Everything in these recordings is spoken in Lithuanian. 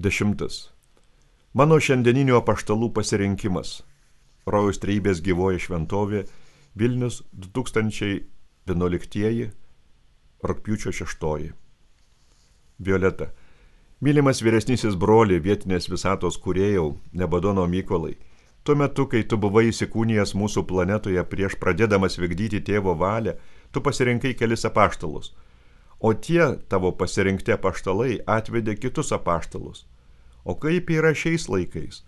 10. Mano šiandieninių apaštalų pasirinkimas. Rojaus Trejybės gyvoji šventovė, Vilnius 2011, rugpjūčio 6. Violeta. Mylimas vyresnysis broli, vietinės visatos kūrėjau, Nebadono Mykolai. Tuo metu, kai tu buvai įsikūnijęs mūsų planetoje prieš pradėdamas vykdyti tėvo valią, tu pasirinkai kelis apaštalus. O tie tavo pasirinkti apaštalai atvedė kitus apaštalus. O kaip yra šiais laikais?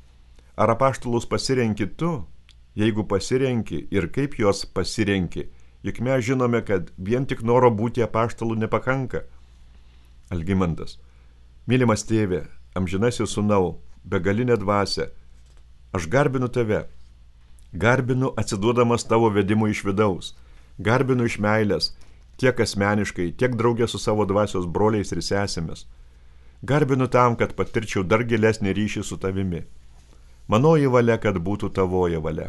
Ar apaštalus pasirenki tu? Jeigu pasirenki ir kaip juos pasirenki, juk mes žinome, kad vien tik noro būti apaštalų nepakanka. Algimantas. Mylimas tėve, amžinasis sūnau, begalinė dvasia, aš garbinu tave. Garbinu atsiduodamas tavo vedimui iš vidaus. Garbinu iš meilės, tiek asmeniškai, tiek draugė su savo dvasios broliais ir sesėmis. Garbinu tam, kad patirčiau dar gilesnį ryšį su tavimi. Manoji valia, kad būtų tavoji valia.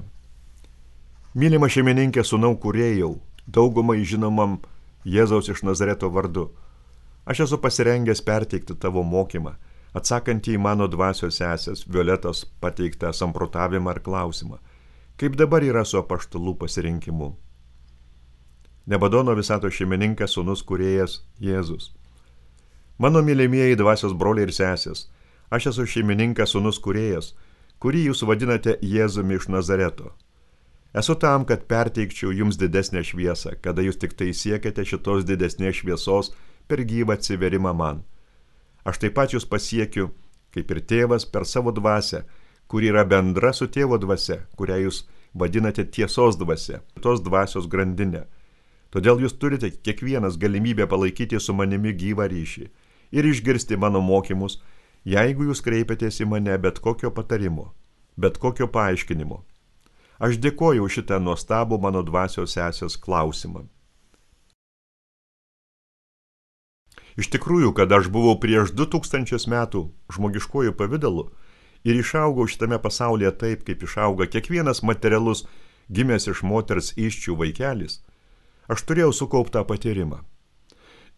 Mylima šeimininkė sūnau kūrėjau, daugumai žinomam Jėzaus iš Nazareto vardu. Aš esu pasirengęs perteikti tavo mokymą, atsakantį į mano dvasios sesės Violetos pateiktą samprotavimą ir klausimą. Kaip dabar yra su apaštalų pasirinkimu? Nebadono visatos šeimininkas sūnus kūrėjas Jėzus. Mano mylimieji dvasios broliai ir sesės, aš esu šeimininkas sūnus kūrėjas, kurį jūs vadinate Jėzumi iš Nazareto. Esu tam, kad perteikčiau jums didesnę šviesą, kada jūs tik tai siekiate šitos didesnės šviesos per gyvą atsiverimą man. Aš taip pat jūs pasiekiu, kaip ir tėvas, per savo dvasią, kuri yra bendra su tėvo dvasia, kurią jūs vadinate tiesos dvasia, tos dvasios grandinė. Todėl jūs turite kiekvienas galimybę palaikyti su manimi gyvą ryšį ir išgirsti mano mokymus, jeigu jūs kreipiatės į mane bet kokio patarimo, bet kokio paaiškinimo. Aš dėkoju už šitą nuostabų mano dvasios sesės klausimą. Iš tikrųjų, kad aš buvau prieš 2000 metų žmogiškojų pavidalu ir išaugau šitame pasaulyje taip, kaip išauga kiekvienas materialus gimęs iš moters įsčių vaikelis, aš turėjau sukauptą patyrimą.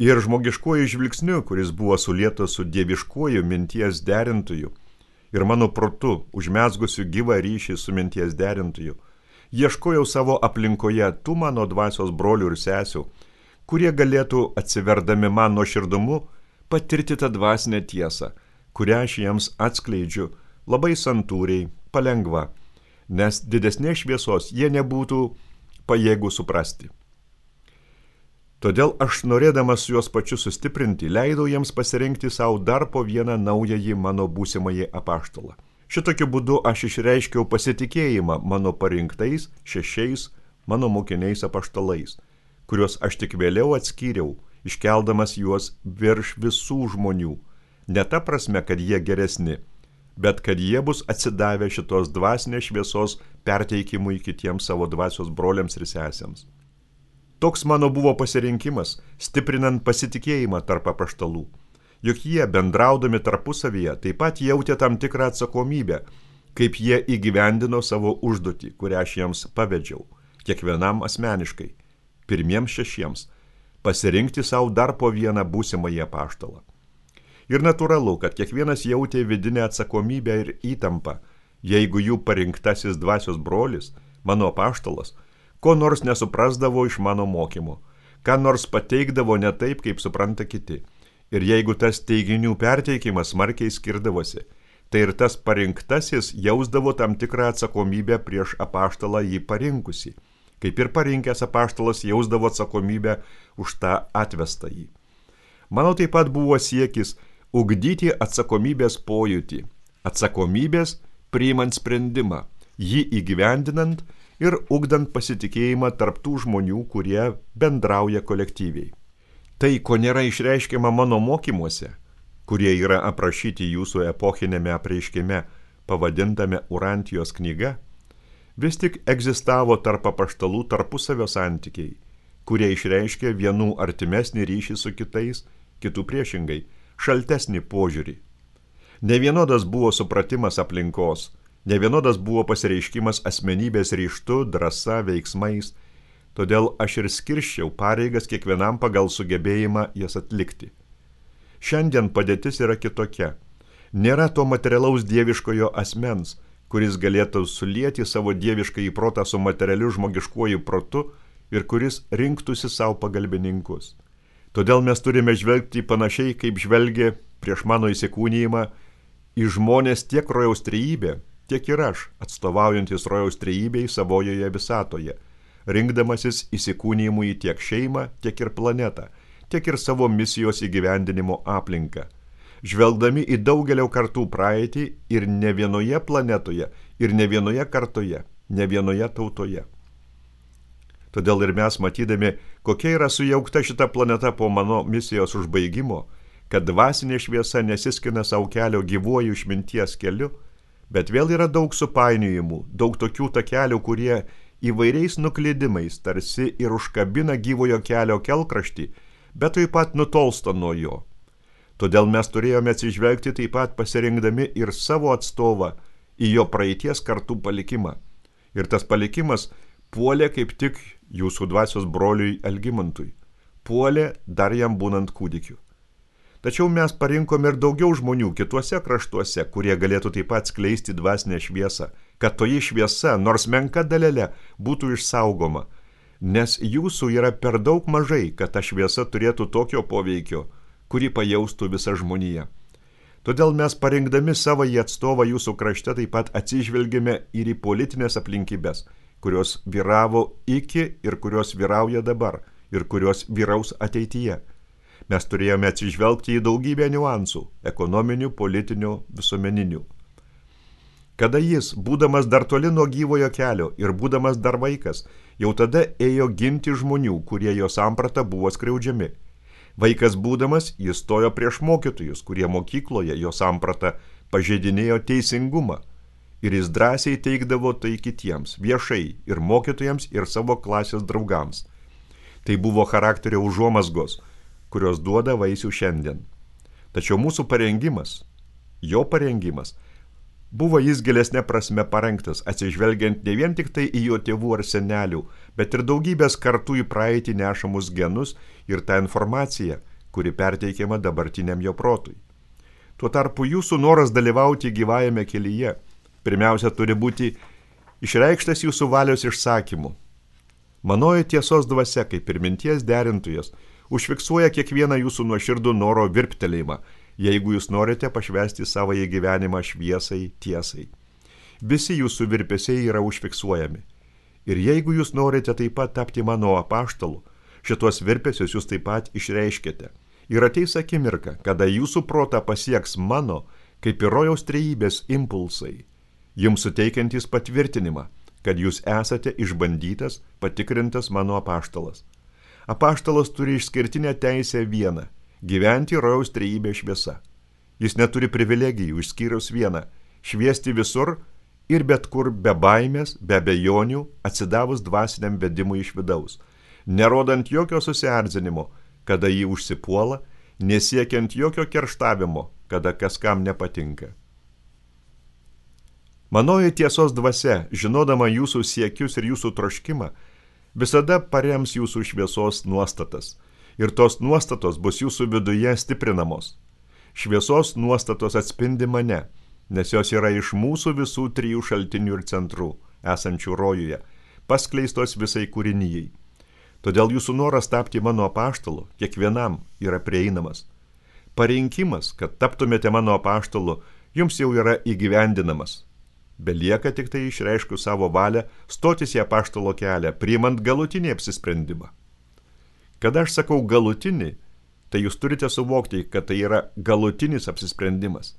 Ir žmogiškuoju žvilgsniu, kuris buvo sulietas su dieviškuoju minties derintoju ir mano protu užmezgusiu gyvą ryšį su minties derintoju, ieškojau savo aplinkoje tų mano dvasios brolių ir sesių, kurie galėtų atsiverdami man nuoširdumu patirti tą dvasinę tiesą, kurią aš jiems atskleidžiu labai santūriai, palengva, nes didesnės šviesos jie nebūtų pajėgų suprasti. Todėl aš, norėdamas juos pačius sustiprinti, leidau jiems pasirinkti savo dar po vieną naująjį mano būsimąjį apaštalą. Šitokiu būdu aš išreiškiau pasitikėjimą mano parinktais 6 mano mokiniais apaštalais, kuriuos aš tik vėliau atskyriau, iškeldamas juos virš visų žmonių. Ne ta prasme, kad jie geresni, bet kad jie bus atsidavę šitos dvasinės šviesos perteikimui kitiems savo dvasios broliams ir sesėms. Toks mano buvo pasirinkimas, stiprinant pasitikėjimą tarp apaštalų. Juk jie, bendraudami tarpusavyje, taip pat jautė tam tikrą atsakomybę, kaip jie įgyvendino savo užduotį, kurią aš jiems pavedžiau, kiekvienam asmeniškai, pirmiems 6, pasirinkti savo dar po vieną būsimąjį apaštalą. Ir natūralu, kad kiekvienas jautė vidinę atsakomybę ir įtampą, jeigu jų parinktasis dvasios brolis, mano apaštalas, ko nors nesuprasdavo iš mano mokymų, ką nors pateikdavo ne taip, kaip supranta kiti. Ir jeigu tas teiginių perteikimas smarkiai skirdavosi, tai ir tas parinktasis jausdavo tam tikrą atsakomybę prieš apaštalą jį parinkusį, kaip ir parinkęs apaštalas jausdavo atsakomybę už tą atvestąjį. Mano taip pat buvo siekis ugdyti atsakomybės pojūtį, atsakomybės priimant sprendimą, jį įgyvendinant ir ugdant pasitikėjimą tarp tų žmonių, kurie bendrauja kolektyviai. Tai, ko nėra išreiškiama mano mokymuose, kurie yra aprašyti jūsų epochinėme apreiškime, pavadintame Urantijos knyga, vis tik egzistavo tarp apaštalų tarpusavio santykiai, kurie išreiškė vienų artimesnį ryšį su kitais, kitų priešingai, šaltesnį požiūrį. Nevienodas buvo supratimas aplinkos, nevienodas buvo pasireiškimas asmenybės ryžtu, drąsa, veiksmais, todėl aš ir skirščiau pareigas kiekvienam pagal sugebėjimą jas atlikti. Šiandien padėtis yra kitokia. Nėra to materialaus dieviškojo asmens, kuris galėtų sulieti savo dievišką įprotą su materialiu žmogiškuoju protu ir kuris rinktųsi savo pagalbininkus. Todėl mes turime žvelgti panašiai, kaip žvelgia prieš mano įsikūnijimą į žmonės tiek rojaus trejybė, tiek ir aš, atstovaujantis rojaus trejybei savojoje visatoje, rinkdamasis įsikūnijimui tiek šeimą, tiek ir planetą, tiek ir savo misijos įgyvendinimo aplinką. Žvelgdami į daugelio kartų praeitį ir ne vienoje planetoje, ir ne vienoje kartoje, ne vienoje tautoje. Todėl ir mes matydami, kokia yra sujaukta šita planeta po mano misijos užbaigimo, kad dvasinė šviesa nesiskina savo kelio gyvuoju išminties keliu, bet vėl yra daug supainiojimų, daug tokių takelių, kurie įvairiais nuklydimais tarsi ir užkabina gyvojo kelio kelkraštį, bet taip pat nutolsta nuo jo. Todėl mes turėjome atsižvelgti taip pat pasirinkdami ir savo atstovą į jo praeities kartų palikimą. Ir tas palikimas puolė kaip tik jūsų dvasios broliui Algimantui. Puolė dar jam būnant kūdikiu. Tačiau mes parinkome ir daugiau žmonių kituose kraštuose, kurie galėtų taip pat skleisti dvasinę šviesą, kad toji šviesa, nors menka dalelė, būtų išsaugoma, nes jūsų yra per daug mažai, kad ta šviesa turėtų tokio poveikio, kurį pajaustų visa žmonija. Todėl mes parinkdami savo į atstovą jūsų krašte taip pat atsižvelgėme ir į politinės aplinkybės, kurios vyravo iki ir kurios vyrauja dabar ir kurios vyraus ateityje. Mes turėjome atsižvelgti į daugybę niuansų – ekonominių, politinių, visuomeninių. Kada jis, būdamas dar toli nuo gyvojo kelio ir būdamas dar vaikas, jau tada ėjo ginti žmonių, kurie jo samprata buvo skriaudžiami. Vaikas būdamas, jis stojo prieš mokytojus, kurie mokykloje jo samprata pažeidinėjo teisingumą. Ir jis drąsiai teikdavo tai kitiems, viešai, ir mokytojams, ir savo klasės draugams. Tai buvo charakterio užuomazgos, kurios duoda vaisių šiandien. Tačiau mūsų parengimas, jo parengimas, buvo jis gilesnė prasme parengtas, atsižvelgiant ne vien tik tai į jo tėvų ar senelių, bet ir daugybės kartų į praeitį nešamus genus ir tą informaciją, kuri perteikiama dabartiniam jo protui. Tuo tarpu jūsų noras dalyvauti gyvajame kelyje, pirmiausia turi būti išreikštas jūsų valios išsakymu. Manoji tiesos dvasia, kaip ir minties derintojas, užfiksuoja kiekvieną jūsų nuoširdų noro virptelėjimą, jeigu jūs norite pašvęsti savąjį gyvenimą šviesai, tiesai. Visi jūsų virpesiai yra užfiksuojami. Ir jeigu jūs norite taip pat tapti mano apaštalu, šitos virpesius jūs taip pat išreiškite. Ir ateis akimirka, kada jūsų protą pasieks mano, kaip ir rojaus trejybės impulsai, jums suteikiantys patvirtinimą, kad jūs esate išbandytas, patikrintas mano apaštalas. Apaštalas turi išskirtinę teisę vieną – gyventi rojaus trejybės šviesa. Jis neturi privilegijų išskyrus vieną – šviesti visur ir bet kur be baimės, be abejonių, atsidavus dvasiniam vedimui iš vidaus, nerodant jokio susierzinimo, kada jį užsipuola, nesiekiant jokio kerštavimo, kada kaskam nepatinka. Manoji tiesos dvasia, žinodama jūsų siekius ir jūsų troškimą, visada parems jūsų šviesos nuostatas, ir tos nuostatos bus jūsų viduje stiprinamos. Šviesos nuostatos atspindi mane, nes jos yra iš mūsų visų trijų šaltinių ir centrų, esančių rojuje, paskleistos visai kūrinijai. Todėl jūsų noras tapti mano apaštalu kiekvienam yra prieinamas. Parinkimas, kad taptumėte mano apaštalu, jums jau yra įgyvendinamas. Belieka tik tai išreiškus savo valią stotis į apaštalo kelią, priimant galutinį apsisprendimą. Kada aš sakau galutinį, tai jūs turite suvokti, kad tai yra galutinis apsisprendimas.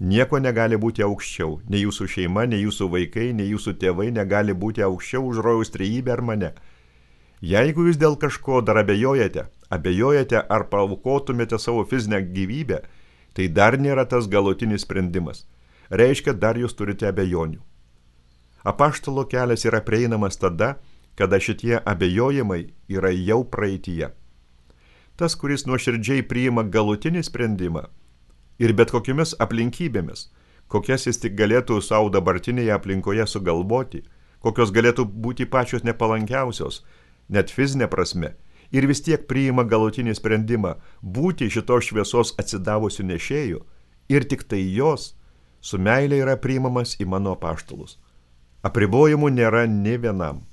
Nieko negali būti aukščiau, nei jūsų šeima, nei jūsų vaikai, nei jūsų tėvai negali būti aukščiau už rojaus trejybę ar mane. Jeigu jūs dėl kažko dar abejojate ar paaukotumėte savo fizinę gyvybę, tai dar nėra tas galutinis sprendimas. Reiškia, dar jūs turite abejonių. Apaštalo kelias yra prieinamas tada, kada šitie abejojimai yra jau praeityje. Tas, kuris nuoširdžiai priima galutinį sprendimą ir bet kokiamis aplinkybėmis, kokias jis tik galėtų savo dabartinėje aplinkoje sugalvoti, kokios galėtų būti pačios nepalankiausios, net fizinė prasme, ir vis tiek priima galutinį sprendimą būti šitos šviesos atsidavusių nešėjų, ir tik tai jos su meilė yra priimamas į mano apaštalus. Apribojimų nėra nė vienam.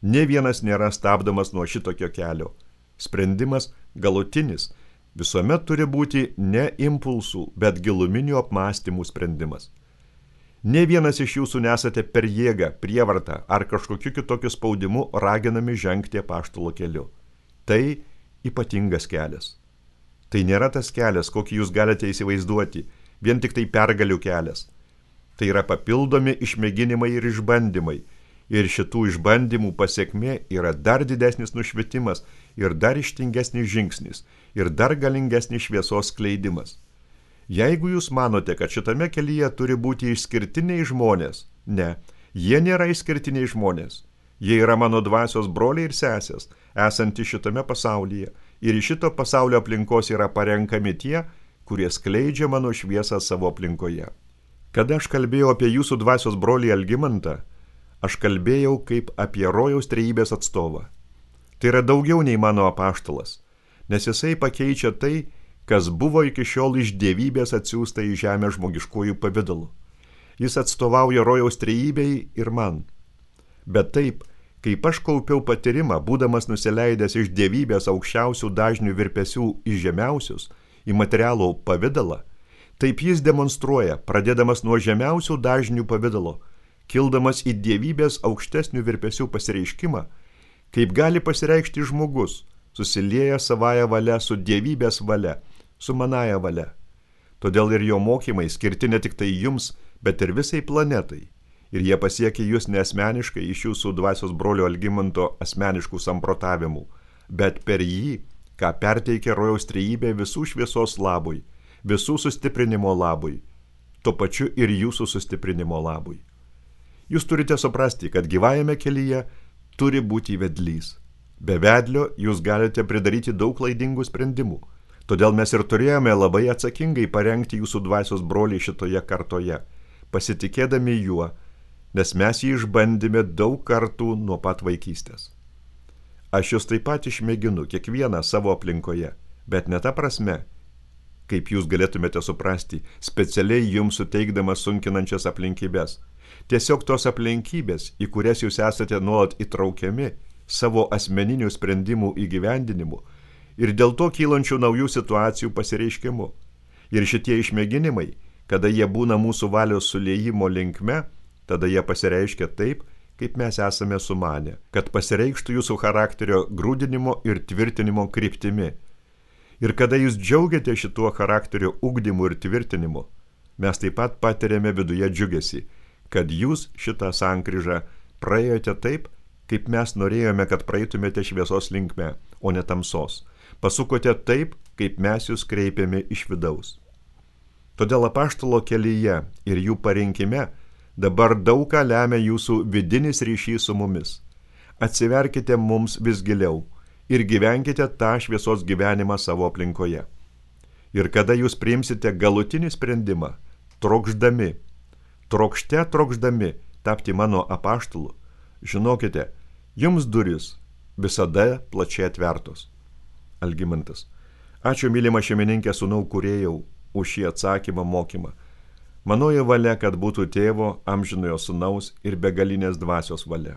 Nė vienas nėra stabdomas nuo šitokio kelio. Sprendimas galutinis visuomet turi būti ne impulsų, bet giluminių apmąstymų sprendimas. Nė vienas iš jūsų nesate per jėgą, prievartą ar kažkokiu kitokiu spaudimu raginami žengti apaštalo keliu. Tai ypatingas kelias. Tai nėra tas kelias, kokį jūs galite įsivaizduoti, vien tik tai pergalių kelias. Tai yra papildomi išmėginimai ir išbandymai. Ir šitų išbandymų pasiekmė yra dar didesnis nušvitimas ir dar ištingesnis žingsnis ir dar galingesnis šviesos skleidimas. Jeigu jūs manote, kad šitame kelyje turi būti išskirtiniai žmonės, ne, jie nėra išskirtiniai žmonės. Jie yra mano dvasios broliai ir sesės, esantys šitame pasaulyje, ir iš šito pasaulio aplinkos yra parenkami tie, kurie skleidžia mano šviesą savo aplinkoje. Kada aš kalbėjau apie jūsų dvasios brolį Algimantą, aš kalbėjau kaip apie rojaus trejybės atstovą. Tai yra daugiau nei mano apaštalas, nes jisai pakeičia tai, kas buvo iki šiol iš dievybės atsiųsta į žemę žmogiškojų pavidalu. Jis atstovauja rojaus trejybei ir man. Bet taip, kaip aš kaupiau patyrimą, būdamas nusileidęs iš dievybės aukščiausių dažnių virpesių į žemiausius, į materialų pavidalą, taip jis demonstruoja, pradėdamas nuo žemiausių dažnių pavidalo, kildamas į dievybės aukštesnių virpesių pasireiškimą, kaip gali pasireikšti žmogus, susilieja savąją valia su dievybės valia, su manąja valia. Todėl ir jo mokymai skirti ne tik tai jums, bet ir visai planetai. Ir jie pasiekia jūs neasmeniškai iš jūsų dvasios brolio Algimanto asmeniškų samprotavimų, bet per jį, ką perteikia rojaus trejybė visų šviesos labui, visų sustiprinimo labui, tuo pačiu ir jūsų sustiprinimo labui. Jūs turite suprasti, kad gyvajame kelyje turi būti vedlys. Be vedlio jūs galite pridaryti daug klaidingų sprendimų. Todėl mes ir turėjome labai atsakingai parengti jūsų dvasios brolį šitoje kartoje, pasitikėdami juo, nes mes jį išbandėme daug kartų nuo pat vaikystės. Aš jūs taip pat išmėginu kiekvieną savo aplinkoje, bet ne ta prasme, kaip jūs galėtumėte suprasti, specialiai jums suteikdamas sunkinančias aplinkybės. Tiesiog tos aplinkybės, į kurias jūs esate nuolat įtraukiami savo asmeninių sprendimų įgyvendinimu ir dėl to kylančių naujų situacijų pasireiškimu. Ir šitie išmėginimai, kada jie būna mūsų valios suliejimo linkme, tada jie pasireiškia taip, kaip mes esame sumanę, kad pasireikštų jūsų charakterio grūdinimo ir tvirtinimo kryptimi. Ir kada jūs džiaugiate šituo charakterio ugdymu ir tvirtinimu, mes taip pat patiriame viduje džiugesį, kad jūs šitą sankryžą praėjote taip, kaip mes norėjome, kad praeitumėte šviesos linkme, o ne tamsos. Pasukote taip, kaip mes jūs kreipėme iš vidaus. Todėl apaštalo kelyje ir jų parinkime dabar daug ką lemia jūsų vidinis ryšys su mumis. Atsiverkite mums vis giliau ir gyvenkite tą šviesos gyvenimą savo aplinkoje. Ir kada jūs priimsite galutinį sprendimą, trokšdami tapti mano apaštalu, žinokite, jums duris visada plačiai atvertos. Algimantas. Ačiū, mylima šeimininkė sūnau kūrėjau, už šį atsakymą mokymą. Manoji valia, kad būtų tėvo, amžinojo sūnaus ir begalinės dvasios valia.